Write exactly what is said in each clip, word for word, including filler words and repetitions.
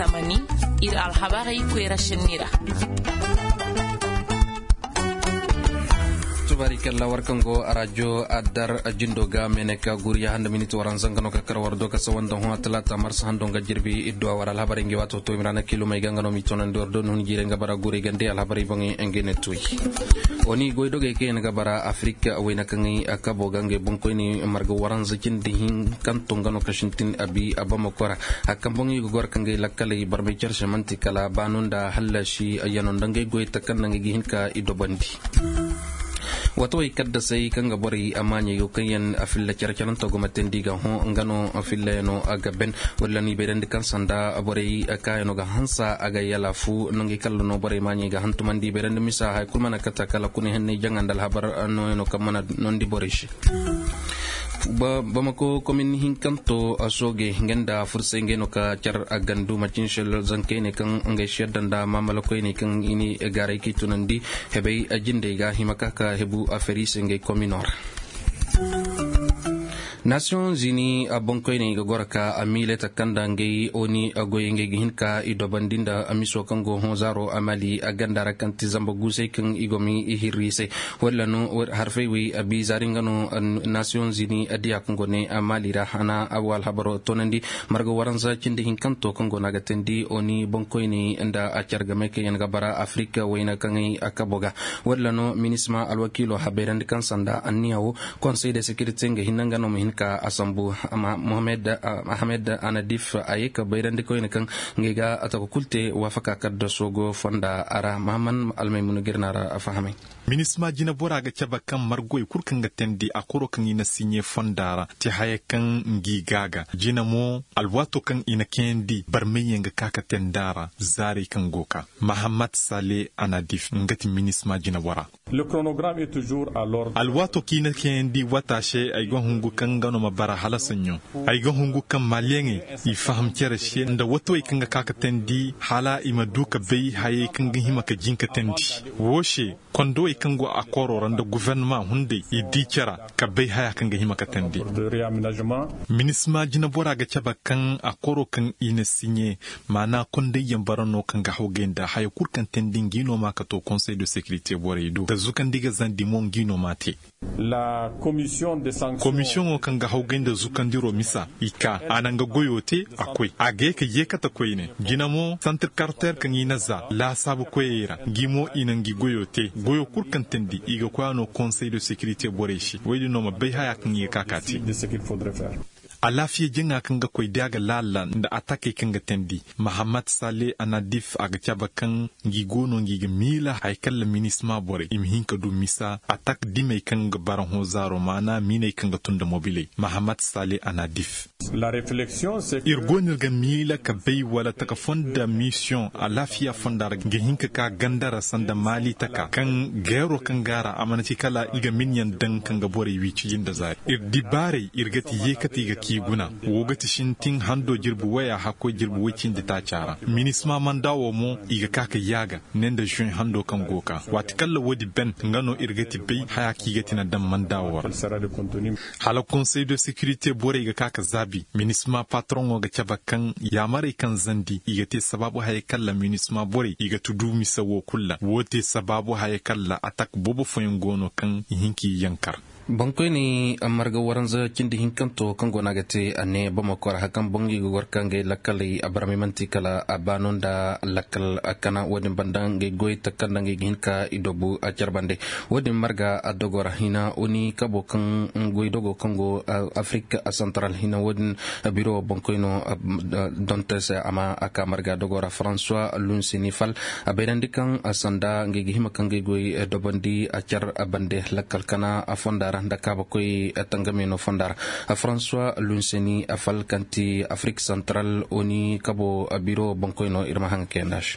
Tamani, iri alhabarey koyra senni ra. Tubaari kalla war kaŋ go arajo adar jindo ga mene ka guri ya handa miniti waranza nga no ka kar war do ka sawa nda hõ talaata marsa hando nga jirbi idduwa war alhabarey ngi waato to imrana kilomey ga nga no mi tonandi war do ni hun jiirey nga bara guri gande alhabarey boŋey nga ne toy. Oni goydogey kaŋ yaŋ ga bara afirika wayna kaŋ ay kabo ga ngey boŋkoyne marga waranza cindi hinkanto nga no ka sintin abi abamako ra. Hari kaŋ boŋ i ga goro ka ngey lakkaley barmay care se manti kala baano nda hallasi yano nda ngey goy takanda ngey ga hin ka i dobandi. Wato ay kaddasay kaŋ ga borey a maaɲey go kaŋ yaŋ a filla care caranto go ma teendi ga hõ nga no filla yano a ga ben. Wala no i bayrandi kaŋ sanda borey kaayano ga hansa a ga yala fu nangey kalla no borey maaɲey ga hantumandi i bayrandi misa hari kulu mana kata kala kuni hanney jaŋa nda alhabar nooyano kaŋ mana nondi borey se. Bamako komin hinkanto sooge nga nda fursay ngey no ka care a gandu macin se zankey ne kaŋ ngey se yadda nda maamalakoy ne kaŋ i ne gaaray k'i tunandi hebey jindey ga hima ka ka hebu a feri se ngey komino ra. Nasiyoŋ zini boŋkoyney ga goro ka a miile takanda ngey oni goyey ngey ga hin ka i dobandi nda miso kaŋ go hõ zaaro a mali a ganda ra kaŋ ti zamba guusey kaŋ i go ma i hirri i se. Walla no harfey wey a bi zaari nga no nasiyoŋ zini diya kaŋ go ne a mali ra hana a wo alhabaro toonandi marga waranza cindi hinkanto kaŋ go no a ga teendi oni boŋkoyney nda a care game kaŋ yaŋ ga bara afirika wayna kaŋ ay a kabo ga. Walla no minisma alwakiilo habayrandi kaŋ sanda anniya wo konsey de sekirite nga hinne nga no ma hin ka a sambu. Ahamed anadif a ye ka bayrandi koyne kaŋ ngey ga a taka kulu te waafaka kala da soogo fonda a ra mahamman almaymuna ga iri no a ra a fahamay. Minisma jina bora ga cabe kaŋ margoy kulu kaŋ ga teendi a koro kaŋ i na siɲe fonda ra te haya kaŋ ngi ga ga jina mo alwaato kaŋ i na kayandi barmay yaŋ ga ka ka teendi a ra. Zaarey kaŋ go ka mahammat sale anadif nga ti minisma jina bora. Alwaato kaŋ i na kayandi waata se ay ga hungu kaŋ nga no ma bara hala saɲɲo. Ay ga hungu kaŋ maliyaŋey i faham care se nda watawey kaŋ ga ka ka teendi hala i ma du ka bay hayey kaŋ ga hima ka jin ka teendi. Wo se kondowey kaŋ go a koro ra nda guvernama hunday i di care ka bay haya kaŋ ga hima ka teendi. Minisma jina bora ga cabe kaŋ a koro kaŋ i na siɲe maana kondayyaŋ bara no kaŋ ga hawgay nda haya kulu kaŋ teendi ngi no ma ka to konsey de sekirite borey do da zukandi ga zandi mo ngi no ma te. Komisiyoŋo kaŋ ga hawgay nda zukandiro misa i ka a na nga goyo te a koy a ga ye ka yeekate koyne jina mo santir karter kaŋ i na za laasaabu koyey ra ngi mo i na ngi goyo te goyo kulu kaŋ teendi i ga koy a no konsey de sekirite borey se wo- din no ma bay haya kaŋ i ga ka ka te. Alaafiya jaŋa kaŋ ga koy da a ga laala nda atakey kaŋ ga teendi mahammat sale anadif a ga cabe kaŋ ngi go no ngi ga miila hari kaŋ ra minisma borey i ma hin ka du misa atak dimey kaŋ ga bara hõ zaaro maana miiney kaŋ ga tun nda mobiley mahammat sale anadif. Iri go no iri ga miila ka bay wala taka fonda misiyoŋ alaafiya fonda ra ga hin ka ka ganda ra sanda maali taka kaŋ geero kaŋ go a ra a mana ci kala i ga minyaŋ daŋ kaŋ ga borey wi cijin nda zaari iri dibaarey iri ga ti yeekate i ga k'i guna. Wo ga ti sintin hando jirbi waya hakkoy jirbi woy cindi taaca ra minisma manda wo mo i ga ka ka yaaga ne nda zuwe hando kaŋ go ka waati kala wo- din ben nga no iri ga ti bay haya kaŋ i ga ti na daŋ manda wo ra. Hala konsey de sekirite borey ga ka ka zaabi minisma patroŋo ga cabe kaŋ yaamarey kaŋ zandi i ga te sabaabu hayey kaŋ ra minisma borey i ga tudu misa wo kulu ra wo te sabaabu hayey kaŋ ra atak boobo fooyaŋ go no kaŋ i hin ka i yankar. Boŋkoyney marga waranza cindi hinkanto kaŋ go no a ga te a ne bamako ra hari kaŋ boŋ i ga goro ka ngey lakkaley a barmay manti kala a baano nda lakkal kana wo- din banda ngey goy takanda ngey ga hin ka i dobu a care bande. Wo- din marga a dogo ra hina oni kabo kaŋ goy dogo kaŋ go afirika santaral hina wo- din biro boŋkoyno donte se a ma a ka marga dogo ra françois lunsini fal a bayrandi kaŋ sanda ngey ga hima kaŋ ngey goy dobandi a care bande lakkal kana fonda ra nda kaabakoy tangameno fonda ra. François lunsini fal kaŋ ti afirika santaral oni kabo biro boŋkoyno iri ma haŋ kayanda se.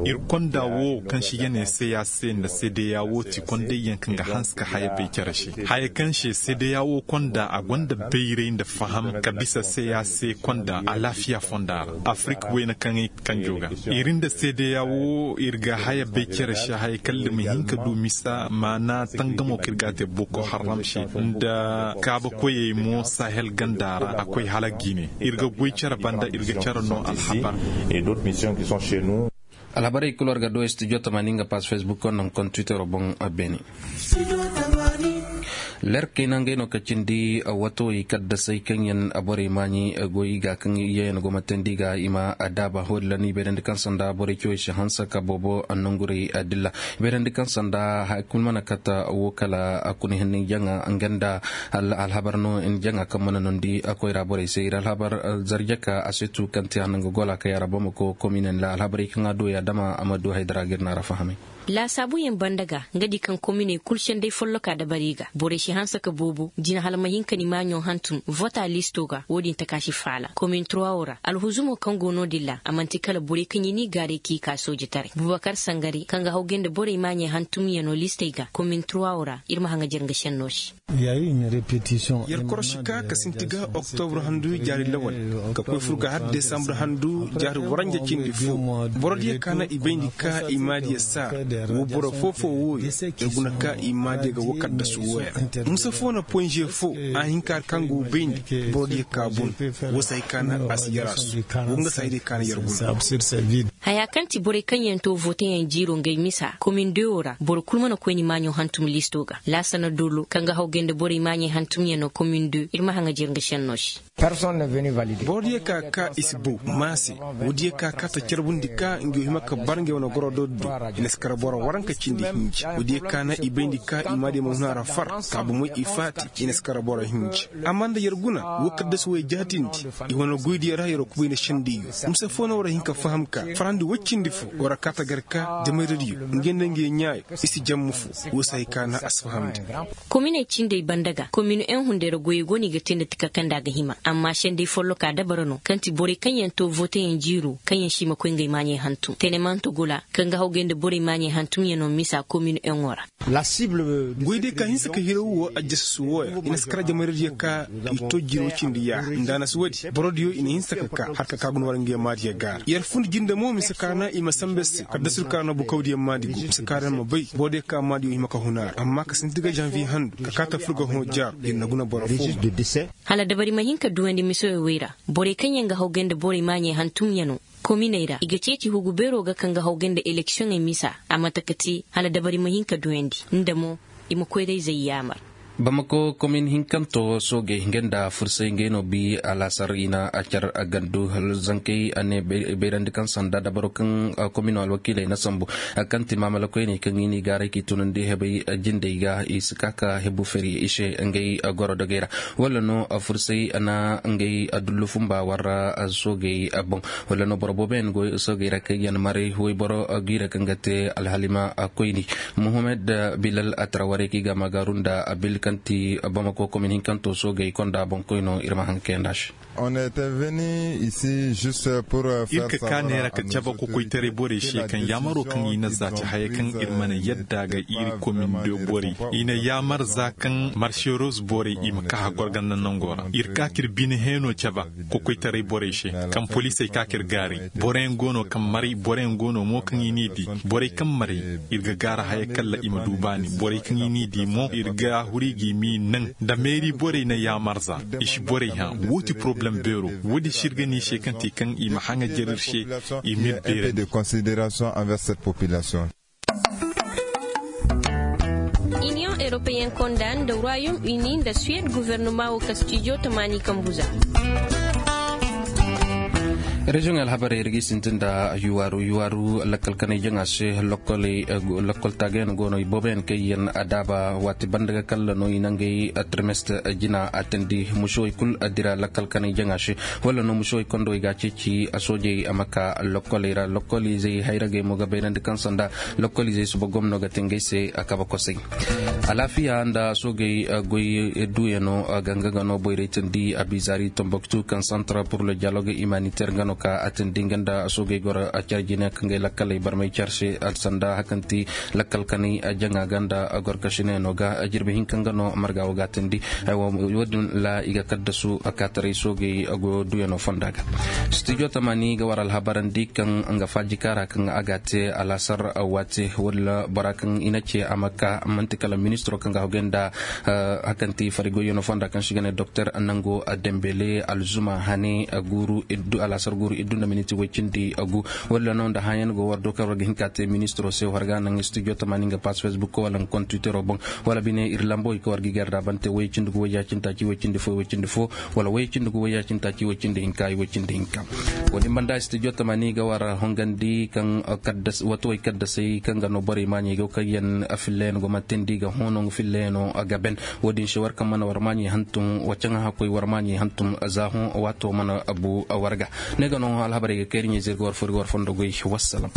Iri konda wo kaŋ se i ga ne se ya se nda se de ya wo ti kondayyaŋ kaŋ ga hanse ka haya bay care se haya kaŋ se se de ya wo konda a gonda bayray nda faham ka bisa se ya se konda alaafiya fonda ra afirika wayna kaŋ ay kanjo ga iri nda se de ya wo iri ga haya bay care se haya kaŋ da ma hin ka du misa. A na tangamo kaŋ iri ga a te boko haram se nda kaaba koyey mo sahel ganda ra a koy hala gine. Iri ga goy care banda iri ga care no alhabar. Alhabarey kulu war ga do studio tamani nga pass facebook konno hunkuna twitter boŋ. Beene. Lerkey na ngey no ka cindi wato i kaddasey kaŋ yaŋ borey maaɲi goy ga kaŋ yaŋ yaŋ go ma tandi ga i ma daaba ho din ra no i bayrandi kaŋ sanda borey cawey si hanse ka boobo nangurey dilla. Beerandi kaŋ sanda hay kulu mana kata wo kala a kuna hinne jaŋa nga nda alhabar no ni jaŋa kaŋ mana nondi koyra borey se iri alhabar. Zarjaka a se tu kaŋ te hanno nga gola ka yaara bamako komine nda alhabarey kaŋ a do ya dama a ma du haydara ga iri naara fahamay. Laasaabuyaŋ banda ga nga di kaŋ kominey kulu sendey folloka dabari ga borey si hanse ka boobo jina hala ma hin ka ni maaɲo hantum vota listo ga wo- din taka si faala komin trois wo ra alhuzumo kaŋ go no- din ra a manti kala borey kaŋ i n'i gaaray k'i ka soojitaray bubakar sangare kaŋ ga hawgay nda borey maaɲey hantumyaŋo listey ga komin trois wo ra iri ma haŋajer nga senno se. Yer korosi ka ka sinti ga oktobro handu jaari lawal ka koy fur ga har desambro handu jaari waranja cindi fo. Boro diya ka na i bayndi ka i maadiya saara wo boro foo foo wooyo. Yer guna ka i maadiya ga wo kaddasu wooyo ra musa foo na poyze fo a hinka kaŋ go bayndi boro diya ka bun. Wo se hay ka na a si yar a su wo nga se hay day ka na yer guna. Haya kaŋ ti borey kaŋ yaŋ to voteyaŋ jiiro ngey misa komin dewo ra boro kulu mana koy ni maaɲo hantum listo ga laasana dolo kaŋ ga hawgay nda borey maaɲey hantumyaŋo komin de iri ma haŋajer nga senno se. Boro diya ka ka i si bow ma se wo diya ka ka ta carbundi ka nga yo hima ka bar nga yo na goro do do. I na si kara boro waranka cindi hinji wo diya ka na i bayndi ka i ma diya ma huna ra far ka bumey i faati. I na si kara boro hinji amma nda yer guna wo kaddasi wo yer jaatindi i wane goydiyo ra yer wo kubay nda sendiyo. Musa fo no war a hin ka faham ka farandi woy cindi fo war a ka ta gar ka jamayra diyo nga nda nga yer ɲaayo i si jamma fo. Wo se hay ka na a si fahamndi. Kominey cindey banda ga komin yaŋ hunday ra goyey go no i ga te nda tika kaŋ nda a ga hima amma sendey folloka dabara no kaŋ ti borey kaŋ yaŋ to voteyaŋ jiiro kaŋ yaŋ si hima koy ngey maaɲey hantum tenemanto gola kaŋ ga hawgay nda borey maaɲey hantumyaŋo misa komin yaŋo ra. Goy day ka hinse ka hiraw wo a jasa su wooya i na si kara jamaradiyo ka i to jiiro cindi ya nda a na si woodi borodiyo i na hinse ka ka har ka ka guna war ngey maadiyo gaara yer fun jinde mo mise ka na i ma sambe se kala da sur ka na bukawdiyo maadi go mise ka na ma bay borodiyo ka maadiyo hima ka huna ra amma ka sinti ga janvier handu ka ka ta fur ga hõ jaaru yer na guna boro fo. Hala dabari ma hin ka duwandi misoyo wey ra borey kaŋ yaŋ ga hawgay nda borey maaɲey hantumyaŋo kominey ra i ga ceeci hugu beero ga kaŋ ga hawgay nda eleksiyoŋey misa a mate ka te hala dabari ma hin ka duwandi nda mo i ma koyrayzey yaamar. Bamako komin hinkanto soogey nga nda fursay ngey no bi alaasar i na a care gandu hala zankey a ne bayrandi kaŋ sanda dabaro kaŋ komino alwakiiley na sambu kaŋ ti maamala koyney kaŋ i n'i gaaray k'i tunandi hebey jindey ga i si ka ka hebu feri i se ngey goro dogey ra. Wala no fursay na ngey dullu fumba warra soogey boŋ wala no boro boobo yaŋ go soogey ra kaŋ yaŋ maray wayboro giira kaŋ ga te alhalima koyni. Mohammed bilal atara waray kaŋ i ga a ma gaaru nda abil kaŋ ti bamako komin hinkanto soogey konda boŋ koyno iri ma haŋ kayanda se. Iri ka ka neera ka cabe kokoytaray borey se kaŋ yaamaro kaŋ i na za ci hayey kaŋ iri mana yadda ga iri komin de borey i na yaamar za kaŋ marseros borey i ma ka hagor ganda nango ra iri ka ka iri bine heeno cabe kokoytaray borey se kaŋ poliisey ka ka iri gaaray boro yaŋ go no kaŋ maray boro yaŋ go no mo kaŋ i n'i di borey kaŋ maray iri ga gaara haya kala i ma du baani borey kaŋ i n'i di mo iri ga huri ga i m'i naŋ da meeri borey na yaamarza i si borey hã. Wo ti poroblem beero. Wo- din si iri ga ne i se kaŋ te kaŋ i ma haŋajer iri se i m'iri beerandi. Iniyoŋ eropeyen konda nda ruwayom ini nda suwed guvernoma wo ka stijo tamaani kambu za. Reziyoŋey alhabarey iri ga i sintin nda yuwaaru yuwaaru lakkal kanay jaŋa se. Lakkal taagayaŋ go no i booboyaŋ kaŋ yaŋ a daaba waati banda ga kalla no i nangey trimestre jina a tandi musuwey kulu a dira lakkal kanay jaŋa se. Wala no musuwey kondo i ga a ceeci a soojey a ma ka lokkoley ra lokkoliizey hayragey mo ga bayrandi kaŋ sanda lokkoliizey suba gomno ga te ngey se a kabe kosay. Alaafiya nda soogey goy duuyano ga nga ga no boyray tandi abizaari tomboktu kaŋ centre pour le dialogue humanitaire nga no. Ka a tindi nga nda soogey goro care jine kaŋ ga ay lakkaley barmay care se, sanda hakanti lakkal kanay jaŋa ga nda gorkasine no ga jirbi hinka nga no marga wo ga a tindi. Wo- din ra i ga kaddasu kaataray soogey go duyano fonda ga. Studio tamani ga war alhabarandi kaŋ nga faaji kaara kaŋ a ga a te alaasar waate. Wo- din ra bora kaŋ i na ce a ma ka manti kala ministiro kaŋ ga hogay nda hakanti farigoyano fonda kaŋ si ga ne doktor nango dembele alzuma hane guuru iddu alaasar guuru iddu nda miniti way cindi gu. Wo- din ra no nda hãayaŋ go war do kaŋ war ga hin ka te ministiro se war ga naŋ studio tamani nga pass facebook wala nga kontitero boŋ wala bine iri lambo i ka war ga i garda bante way cindi gu way ya cindi taaci way cindi fo way cindi fo wala way cindi gu way ya cindi taaci way cindi hinka way cindi hinka. Wo- din banda studio tamani ga war hongandi kaŋ wato way kaddasay kaŋ ga no borey maaɲey go kaŋ yaŋ filla yaŋ go ma tindi ga hoono nga filla yaŋo ga ben. Wo- din se war kaŋ mana war maaɲey hantum wa caŋa hakkoy war maaɲey hantum za hõ waato mana bu war ga. Ne ga no alhabarey ga kayri ɲey zirga war fo iri ga war fondo goy. Wassalam.